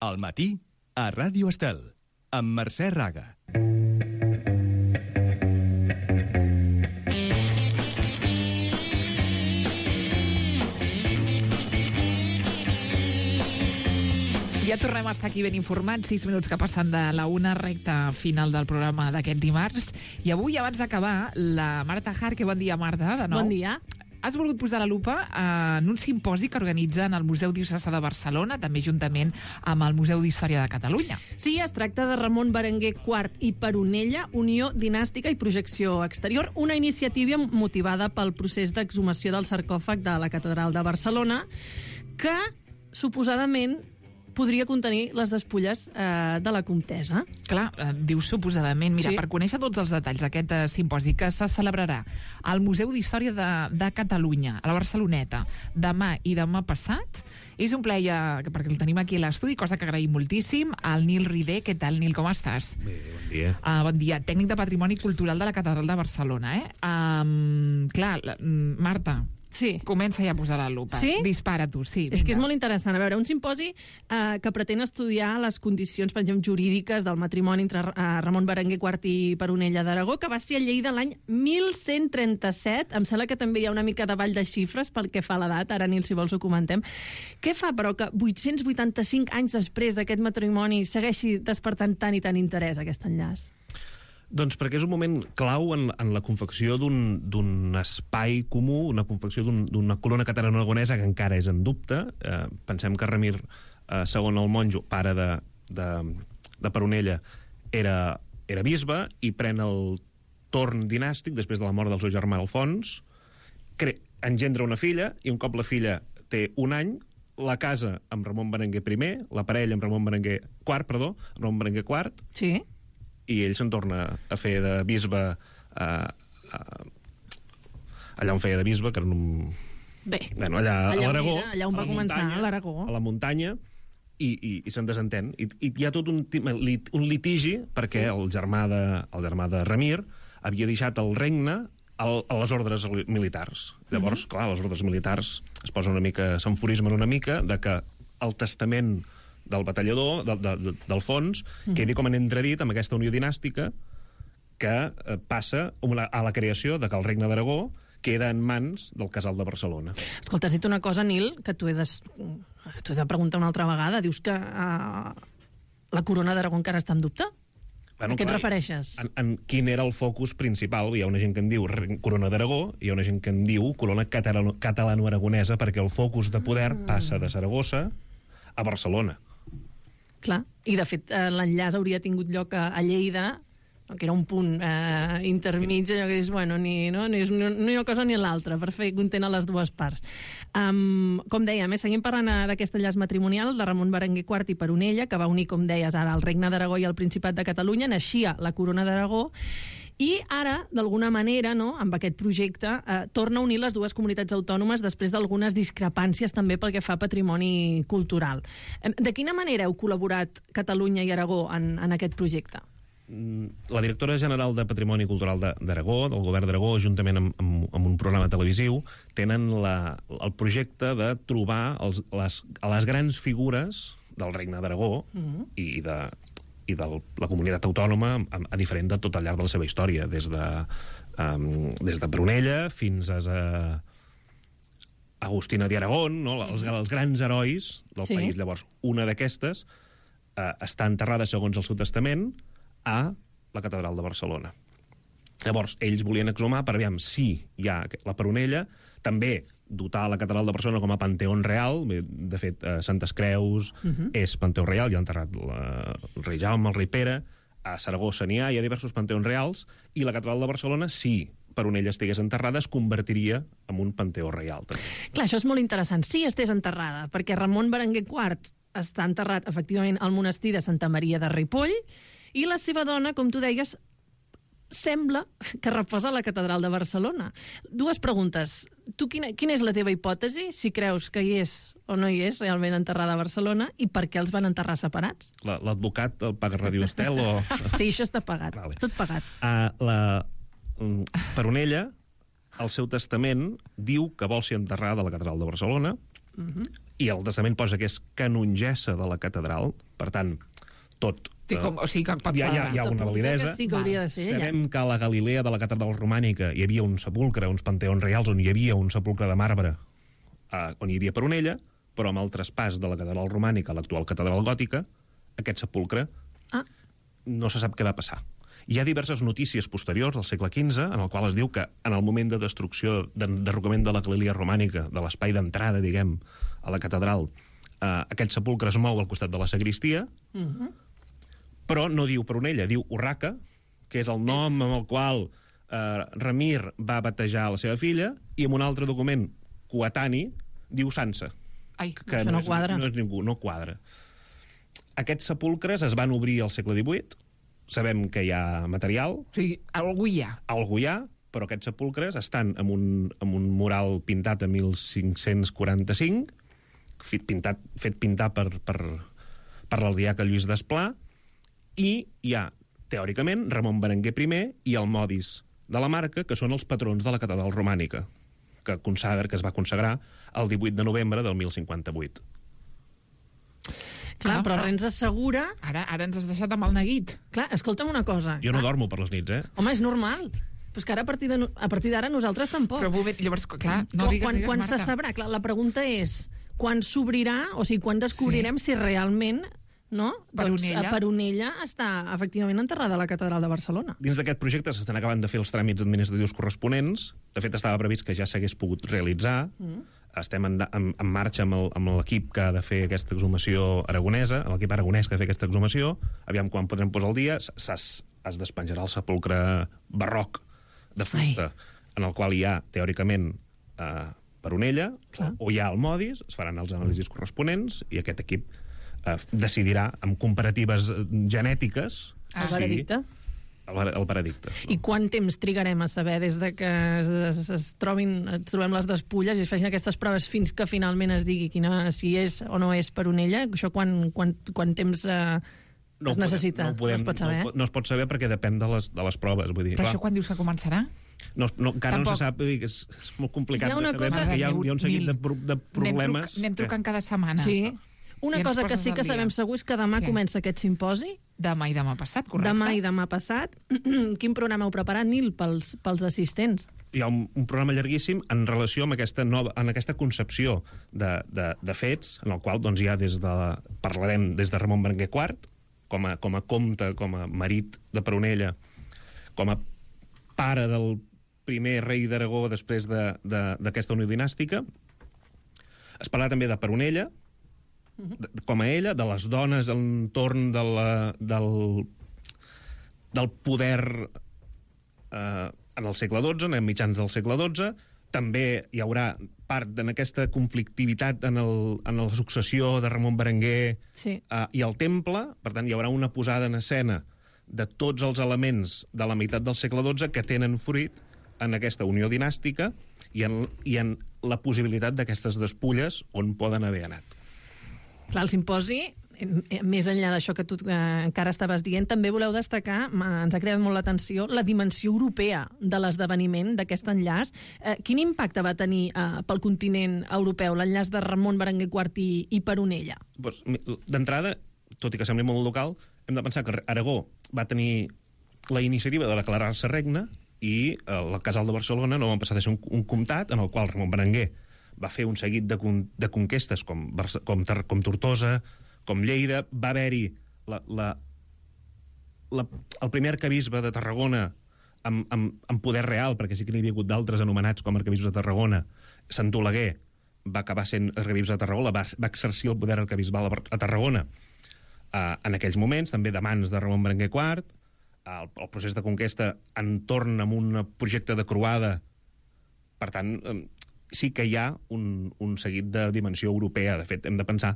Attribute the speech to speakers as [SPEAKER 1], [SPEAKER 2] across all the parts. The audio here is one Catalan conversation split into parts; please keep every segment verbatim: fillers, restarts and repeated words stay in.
[SPEAKER 1] Al matí, a Ràdio Estel, amb Mercè Raga.
[SPEAKER 2] Ja tornem a estar aquí ben informats, sis minuts que passen de la una, recta final del programa d'aquest dimarts. I avui, abans d'acabar, la Marta Jarque. Bon dia, Marta, de nou.
[SPEAKER 3] Bon dia.
[SPEAKER 2] Has volgut posar la lupa en un simposi que organitzen el Museu Diocesà de Barcelona, també juntament amb el Museu d'Història de Catalunya.
[SPEAKER 3] Sí, es tracta de Ramon Berenguer quart i Peronella, Unió Dinàstica i Projecció Exterior, una iniciativa motivada pel procés d'exhumació del sarcòfag de la Catedral de Barcelona, que, suposadament, podria contenir les despulles eh, de la comtessa.
[SPEAKER 2] Clar, eh, dius suposadament. Mira,
[SPEAKER 3] Sí.
[SPEAKER 2] per conèixer tots els detalls d'aquest eh, simposi que se celebrarà al Museu d'Història de, de Catalunya, a la Barceloneta, demà i demà passat, és un plaer, ja, perquè el tenim aquí a l'estudi, cosa que agraïm moltíssim, al Nil Ridé. Què tal, Nil, com estàs?
[SPEAKER 4] Bé, bon dia.
[SPEAKER 2] Uh, bon dia. Tècnic de Patrimoni Cultural de la Catedral de Barcelona, eh? Um, clar, la, mm, Marta,
[SPEAKER 3] Sí.
[SPEAKER 2] comença ja a posar la lupa.
[SPEAKER 3] Sí?
[SPEAKER 2] Dispara tu, sí.
[SPEAKER 3] És que és
[SPEAKER 2] vinga.
[SPEAKER 3] molt interessant. A veure, un simposi eh, que pretén estudiar les condicions, per exemple, jurídiques del matrimoni entre eh, Ramon Berenguer quart i Peronella d'Aragó, que va ser a Lleida l'any mil cent trenta-set. Em sembla que també hi ha una mica de ball de xifres pel que fa a l'edat. Ara, Nil, si vols ho comentem. Què fa, però, que vuit-cents vuitanta-cinc anys després d'aquest matrimoni segueixi despertant tant i tant interès, aquest enllaç?
[SPEAKER 4] Doncs perquè és un moment clau en, en la confecció d'un espai comú, una confecció d'una un, corona catalano-aragonesa que encara és en dubte. Eh, pensem que Ramir eh, segon el monjo, pare de, de, de Peronella, era, era bisbe i pren el torn dinàstic després de la mort del seu germà Alfons, cre engendra una filla, i un cop la filla té un any, la casa amb Ramon Berenguer primer, la parella amb Ramon Berenguer quart, perdó, amb Ramon Berenguer quart,
[SPEAKER 3] Sí.
[SPEAKER 4] i ell se'n torna a fer de bisbe eh, eh, allà on feia de bisbe, que era un...
[SPEAKER 3] Bé,
[SPEAKER 4] bueno, allà,
[SPEAKER 3] allà
[SPEAKER 4] a
[SPEAKER 3] on
[SPEAKER 4] l'Aragó,
[SPEAKER 3] era, allà on
[SPEAKER 4] a
[SPEAKER 3] va
[SPEAKER 4] la
[SPEAKER 3] començar,
[SPEAKER 4] muntanya,
[SPEAKER 3] a l'Aragó.
[SPEAKER 4] a la muntanya, i, i, i se'n desentén. I, I hi ha tot un, ti- lit- un litigi perquè
[SPEAKER 3] Sí.
[SPEAKER 4] el germà de, el germà de Ramir havia deixat el regne al, a les ordres militars. Llavors,
[SPEAKER 3] Mhm.
[SPEAKER 4] clar, les ordres militars es posa una mica, s'enfurismen una mica de que el testament del batallador, de, de, de, d'Alfons,
[SPEAKER 3] Mhm.
[SPEAKER 4] quedi com en entredit amb aquesta unió dinàstica que eh, passa a la, a la creació de que el regne d'Aragó queda en mans del Casal de Barcelona.
[SPEAKER 3] Escolta, has dit una cosa, Nil, que t'ho he, de... t'ho he de preguntar una altra vegada. Dius que uh, la corona d'Aragó encara està en dubte?
[SPEAKER 4] Bueno,
[SPEAKER 3] a què et
[SPEAKER 4] clar,
[SPEAKER 3] refereixes?
[SPEAKER 4] En, en quin era el focus principal? Hi ha una gent que en diu re- corona d'Aragó, hi ha una gent que en diu corona catalano- catalano-aragonesa, perquè el focus de poder
[SPEAKER 3] Mm.
[SPEAKER 4] passa de Saragossa a Barcelona.
[SPEAKER 3] Clar, i de fet eh, l'enllaç hauria tingut lloc a, a Lleida, no, que era un punt eh, intermig, allò que dius, bueno, ni, no, ni, ni una cosa ni l'altra, per fer content a les dues parts. Um, com dèiem, eh, seguim parlant eh, d'aquest enllaç matrimonial de Ramon Berenguer quart i Peronella, que va unir, com deies, ara el Regne d'Aragó i el Principat de Catalunya, naixia la Corona d'Aragó, i ara, d'alguna manera, no, amb aquest projecte, eh, torna a unir les dues comunitats autònomes després d'algunes discrepàncies també pel que fa a patrimoni cultural. Em, De quina manera heu col·laborat Catalunya i Aragó en, en aquest projecte?
[SPEAKER 4] Mm, La directora general de Patrimoni Cultural de- d'Aragó, del govern d'Aragó, juntament amb, amb, amb un programa televisiu, tenen la, el projecte de trobar els, les, les grans figures del Regne d'Aragó
[SPEAKER 3] Mhm.
[SPEAKER 4] i de i de la comunitat autònoma a, a diferent de tot al llarg de la seva història, des de, um, des de Peronella fins a, a Agustina d'Aragón, no? els, els grans herois del
[SPEAKER 3] Sí.
[SPEAKER 4] país. Llavors, una d'aquestes eh, està enterrada, segons el seu testament, a la Catedral de Barcelona. Llavors, ells volien exhumar per aviam si hi ha la Peronella, també dotar la Catedral de Barcelona com a Panteón Real. Bé, de fet, eh, Santes Creus
[SPEAKER 3] Mhm.
[SPEAKER 4] és Panteó Real, hi ha enterrat la, el rei Jaume, el rei Pere, a Saragossa n'hi ha, hi ha diversos panteons reals, i la Catedral de Barcelona, si Peronella estigués enterrada, es convertiria en un panteó reial. També.
[SPEAKER 3] Clar, això és molt interessant. Sí, estés enterrada, perquè Ramon Berenguer quart està enterrat, efectivament, al monestir de Santa Maria de Ripoll, i la seva dona, com tu deies, sembla que reposa a la Catedral de Barcelona. Dues preguntes. Tu, quina, quina és la teva hipòtesi, si creus que hi és o no hi és realment enterrada a Barcelona, i per què els van enterrar separats?
[SPEAKER 4] La- L'advocat el paga Ràdio Estel o...
[SPEAKER 3] Sí, això està pagat,
[SPEAKER 4] Vale.
[SPEAKER 3] tot pagat.
[SPEAKER 4] Uh, la um, Peronella, el seu testament, diu que vol ser enterrada a la Catedral de Barcelona,
[SPEAKER 3] Uh -huh.
[SPEAKER 4] i el testament posa que és canongessa de la catedral, per tant, tot...
[SPEAKER 2] Sí, com, o sigui que pot
[SPEAKER 4] hi ha, hi ha, hi ha una validesa.
[SPEAKER 3] Sí que hauria de ser ella.
[SPEAKER 4] Sabem que a la Galilea de la catedral romànica hi havia un sepulcre, uns panteons reials, on hi havia un sepulcre de marbre, eh, on hi havia Peronella, però amb el traspàs de la catedral romànica a l'actual catedral gòtica, aquest sepulcre
[SPEAKER 3] ah.
[SPEAKER 4] no se sap què va passar. Hi ha diverses notícies posteriors al segle quinze, en el qual es diu que en el moment de destrucció, d'enderrocament de la Galilea romànica, de l'espai d'entrada, diguem, a la catedral, eh, aquest sepulcre es mou al costat de la sagristia, uh -huh. però no diu Peronella, diu Urraca, que és el nom amb el qual eh, Remir va batejar la seva filla, i en un altre document coetani diu Sança.
[SPEAKER 2] Ai,
[SPEAKER 4] que
[SPEAKER 3] això no
[SPEAKER 4] és,
[SPEAKER 3] quadra.
[SPEAKER 4] No és ningú, no quadra. Aquests sepulcres es van obrir al segle divuit, sabem que hi ha material.
[SPEAKER 2] O sigui, algú hi ha.
[SPEAKER 4] Algú hi ha, però aquests sepulcres estan en un, en un mural pintat a mil cinc-cents quaranta-cinc, fet pintat, fet pintar per, per, per l'ardiaca Lluís Desplà, i hi ha, teòricament, Ramon Berenguer primer i el Modis de la Marca, que són els patrons de la catedral romànica, que consagra, que es va consagrar el divuit de novembre del mil cinquanta-vuit.
[SPEAKER 3] Clar,
[SPEAKER 2] Ah,
[SPEAKER 3] però
[SPEAKER 2] però-
[SPEAKER 3] res ens assegura...
[SPEAKER 2] Ara, ara ens has deixat amb el neguit.
[SPEAKER 3] Clar, escolta'm una cosa.
[SPEAKER 4] Jo no
[SPEAKER 3] Clar.
[SPEAKER 4] dormo per les nits, eh?
[SPEAKER 3] Home, és normal. Però és que ara, a partir de no- a partir d'ara, nosaltres tampoc.
[SPEAKER 2] Però, moment, llavors, clar, no
[SPEAKER 3] quan,
[SPEAKER 2] digues,
[SPEAKER 3] quan,
[SPEAKER 2] digues,
[SPEAKER 3] quan
[SPEAKER 2] Marta.
[SPEAKER 3] se sabrà? Clar, la pregunta és quan s'obrirà, o sigui, quan descobrirem sí. si realment no?
[SPEAKER 2] Peronella.
[SPEAKER 3] Doncs Peronella està efectivament enterrada a la catedral de Barcelona.
[SPEAKER 4] Dins d'aquest projecte s'estan acabant de fer els tràmits administratius corresponents. De fet, estava previst que ja s'hagués pogut realitzar. Mm. Estem en, en, en marxa amb el- amb l'equip que ha de fer aquesta exhumació aragonesa, l'equip aragonès que ha de fer aquesta exhumació. Aviam quan podrem posar el dia. S- Es, es despenjarà el sepulcre barroc de fusta, Ai. en el qual hi ha, teòricament, eh, Peronella,
[SPEAKER 3] Clar.
[SPEAKER 4] o, o hi ha el Modis, es faran els anàlisis corresponents, i aquest equip eh, decidirà, amb comparatives eh, genètiques,
[SPEAKER 3] El
[SPEAKER 4] si-
[SPEAKER 3] veredicte.
[SPEAKER 4] El, ver- el veredicte.
[SPEAKER 3] I quant temps trigarem a saber des de que es, es, es trobin, es trobem les despulles i es facin aquestes proves fins que finalment es digui quina, si és o no és Peronella? Això quan, quan, quan temps eh,
[SPEAKER 4] No ho
[SPEAKER 3] es necessita?
[SPEAKER 4] podem- no, ho podem,
[SPEAKER 3] no es pot saber?
[SPEAKER 4] no, ho po- no es pot saber perquè depèn de les, de les proves. Vull dir,
[SPEAKER 2] Però
[SPEAKER 4] clar,
[SPEAKER 2] això quan dius que començarà?
[SPEAKER 4] no, no, encara
[SPEAKER 2] Tampoc.
[SPEAKER 4] no se sap, vull dir, que és, és molt complicat
[SPEAKER 3] Hi ha una
[SPEAKER 4] de saber,
[SPEAKER 3] cosa-
[SPEAKER 4] perquè hi ha,
[SPEAKER 2] Mare
[SPEAKER 4] hi ha un seguit
[SPEAKER 2] mil.
[SPEAKER 4] de, pro, de problemes.
[SPEAKER 2] Anem, truc, anem trucant cada setmana.
[SPEAKER 3] Sí. Una
[SPEAKER 2] I ens
[SPEAKER 3] cosa que
[SPEAKER 2] poses
[SPEAKER 3] sí
[SPEAKER 2] al
[SPEAKER 3] que
[SPEAKER 2] dia.
[SPEAKER 3] sabem segur és que demà
[SPEAKER 2] Què?
[SPEAKER 3] comença aquest simposi.
[SPEAKER 2] Demà i demà passat, correcte?
[SPEAKER 3] Demà i demà passat. Quin programa heu preparat, Nil, pels, pels assistents?
[SPEAKER 4] Hi ha un, un programa llarguíssim en relació amb aquesta, nova, en aquesta concepció de, de, de fets, en el qual doncs, hi ha des de, parlarem des de Ramon Berenguer quart, com a, com a comte, com a marit de Peronella, com a pare del primer rei d'Aragó després d'aquesta de, de, unió dinàstica. Es parla també de Peronella, de, com a ella, de les dones entorn de la, del, del poder eh, en el segle dotze, en mitjans del segle dotze. També hi haurà part en aquesta conflictivitat en, el, en la successió de Ramon Berenguer
[SPEAKER 3] Sí.
[SPEAKER 4] eh, i el temple. Per tant, hi haurà una posada en escena de tots els elements de la meitat del segle dotze que tenen fruit en aquesta unió dinàstica i en, i en la possibilitat d'aquestes despulles on poden haver anat.
[SPEAKER 3] Clar, el simposi, eh, més enllà d'això que tu eh, encara estaves dient, també voleu destacar, m'ha- ens ha creat molt l'atenció, la dimensió europea de l'esdeveniment, d'aquest enllaç. Eh, quin impacte va tenir eh, pel continent europeu l'enllaç de Ramon Berenguer quart i, i Peronella?
[SPEAKER 4] Doncs, mi- d'entrada, tot i que sembli molt local, hem de pensar que Aragó va tenir la iniciativa de declarar-se regne i eh, el Casal de Barcelona no va passar de ser un, un comtat en el qual Ramon Berenguer va fer un seguit de, con, de conquestes com, Barce- com, Tar- com Tortosa, com Lleida. Va haver-hi la, la, la, el primer arquebisbe de Tarragona amb, amb, amb poder real, perquè sí que n'hi havia hagut d'altres anomenats com arquebisbes de Tarragona. Sant Oleguer va acabar sent arquebisbe de Tarragona, va, va exercir el poder arquebisbal a, a Tarragona uh, en aquells moments, també de mans de Ramon Berenguer quart. El, el procés de conquesta entorn amb un projecte de croada. Per tant, eh, sí que hi ha un, un seguit de dimensió europea. De fet, hem de pensar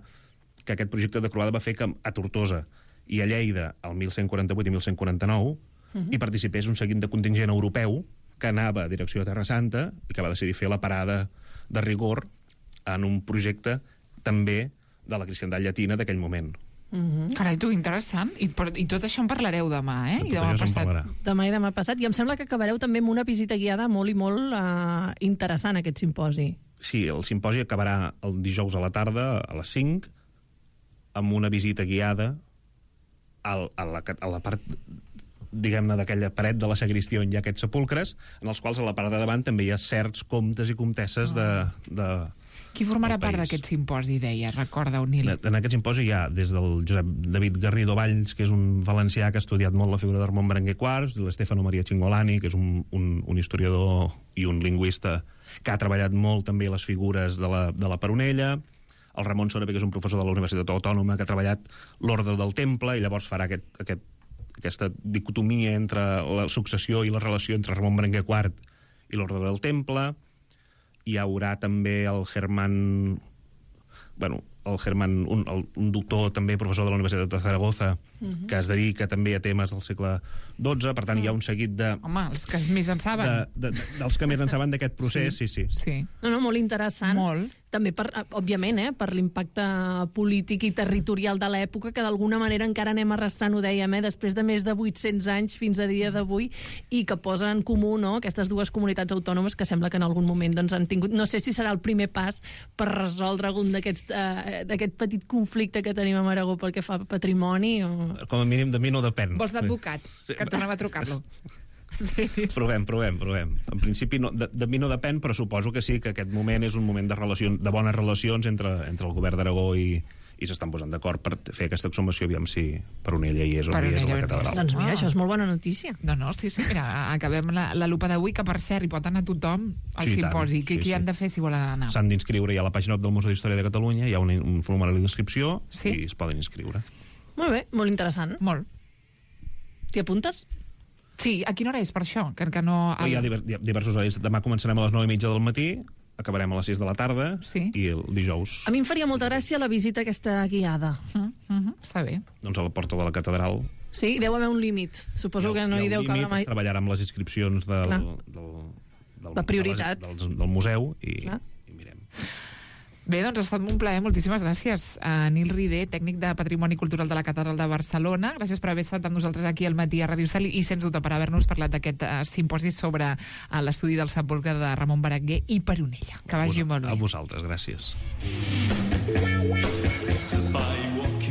[SPEAKER 4] que aquest projecte de croada va fer que a Tortosa i a Lleida, el mil cent quaranta-vuit i mil cent quaranta-nou, uh-huh. hi participés un seguit de contingent europeu que anava a direcció de Terra Santa i que va decidir fer la parada de rigor en un projecte també de la cristiandat llatina d'aquell moment.
[SPEAKER 3] Uh-huh.
[SPEAKER 2] Carai, tu, interessant. I, per, I tot això en parlareu demà, eh?
[SPEAKER 4] Tot
[SPEAKER 2] I demà
[SPEAKER 4] això se'n
[SPEAKER 2] passat.
[SPEAKER 4] parlarà.
[SPEAKER 3] Demà i demà passat. I em sembla que acabareu també amb una visita guiada molt i molt eh, interessant, aquest simposi.
[SPEAKER 4] sí, el simposi acabarà el dijous a la tarda, a les cinc, amb una visita guiada al, a, la, a la part, diguem-ne, d'aquella paret de la sagristia on hi ha aquests sepulcres, en els quals a la part de davant també hi ha certs comtes i comtesses de, de
[SPEAKER 2] Qui formarà
[SPEAKER 4] del
[SPEAKER 2] part
[SPEAKER 4] país.
[SPEAKER 2] d'aquest simposi, deia, recorda, Nil?
[SPEAKER 4] En aquest simposi hi ha des del Josep David Garrido Valls, que és un valencià que ha estudiat molt la figura de Ramon Berenguer quarts, l'Estefano Maria Cingolani, que és un, un, un historiador i un lingüista que ha treballat molt també les figures de la, de la Peronella, el Ramon Sorepe, que és un professor de la Universitat Autònoma, que ha treballat l'ordre del Temple, i llavors farà aquest, aquest, aquesta dicotomia entre la successió i la relació entre Ramon Berenguer quart i l'ordre del Temple. Hi haurà també el Germán... Bueno, el Germán, un, el, un doctor també professor de la Universitat de Zaragoza, uh-huh. que es dedica també a temes del segle dotze, per tant uh-huh. hi ha un seguit de...
[SPEAKER 2] Home, els que més en saben.
[SPEAKER 4] De, de, dels que més en saben d'aquest procés, sí, sí.
[SPEAKER 2] sí. sí.
[SPEAKER 3] No, no, molt interessant.
[SPEAKER 2] Molt.
[SPEAKER 3] També, per, òbviament, eh, per l'impacte polític i territorial de l'època, que d'alguna manera encara anem arrastrant, ho dèiem, eh, després de més de vuit-cents anys fins a dia d'avui, i que posa en comú, no?, aquestes dues comunitats autònomes que sembla que en algun moment doncs, han tingut... No sé si serà el primer pas per resoldre algun d'aquest eh, petit conflicte que tenim a Aragó pel que fa a patrimoni. O...
[SPEAKER 4] Com a mínim de mi no depèn.
[SPEAKER 2] Vols d'advocat?
[SPEAKER 4] Sí.
[SPEAKER 2] Que tornem a trucar-lo. Sí.
[SPEAKER 4] Provem, provem, provem. En principi no, de, de mi no depèn, però suposo que sí, que aquest moment és un moment de, relacions, de bones relacions entre, entre el govern d'Aragó i, i s'estan posant d'acord per fer aquesta exhumació, aviam si Peronella hi és o no hi és a la catedral.
[SPEAKER 3] Doncs mira,
[SPEAKER 2] Ah.
[SPEAKER 3] això és molt bona notícia.
[SPEAKER 2] No, no, sí, sí, mira, acabem la, la lupa d'avui, que per cert, hi pot anar tothom al
[SPEAKER 4] Sí, i tant.
[SPEAKER 2] simposi. Què
[SPEAKER 4] Sí,
[SPEAKER 2] sí,
[SPEAKER 4] sí.
[SPEAKER 2] han de fer si volen anar?
[SPEAKER 4] S'han d'inscriure, hi ha a la pàgina web del Museu d'Història de Catalunya, hi ha un, un formulari d'inscripció
[SPEAKER 2] Sí?
[SPEAKER 4] i es poden inscriure.
[SPEAKER 3] Molt bé, molt interessant.
[SPEAKER 2] Molt.
[SPEAKER 3] T'hi apuntes?
[SPEAKER 2] Sí, a quina hora és, per això? Que, que no...
[SPEAKER 4] El... Hi ha diver, hi ha diversos horaris. Demà començarem a les nou i mitja del matí, acabarem a les sis de la tarda,
[SPEAKER 2] Sí.
[SPEAKER 4] i el dijous
[SPEAKER 3] A mi em faria molta gràcia la visita aquesta guiada.
[SPEAKER 2] Uh -huh, uh -huh, està bé.
[SPEAKER 4] doncs a la porta de la catedral.
[SPEAKER 3] Sí, deu haver un límit. Suposo que no hi,
[SPEAKER 4] ha
[SPEAKER 3] deu
[SPEAKER 4] un
[SPEAKER 3] cabre
[SPEAKER 4] límit,
[SPEAKER 3] mai...
[SPEAKER 4] es treballarà amb les inscripcions del,
[SPEAKER 3] Clar.
[SPEAKER 4] del, del,
[SPEAKER 3] La prioritat.
[SPEAKER 4] del, del, del museu i,
[SPEAKER 3] Clar.
[SPEAKER 4] i mirem.
[SPEAKER 2] Bé, doncs ha estat un plaer. Moltíssimes gràcies a Nil Rider, tècnic de Patrimoni Cultural de la Catedral de Barcelona. Gràcies per haver estat amb nosaltres aquí al matí a Ràdio Sal i, sens dubte, per haver-nos parlat d'aquest uh, simposi sobre uh, l'estudi del sepulcre de Ramon Berenguer i Peronella. Que vagi molt bé.
[SPEAKER 4] A vosaltres, gràcies.
[SPEAKER 5] By walking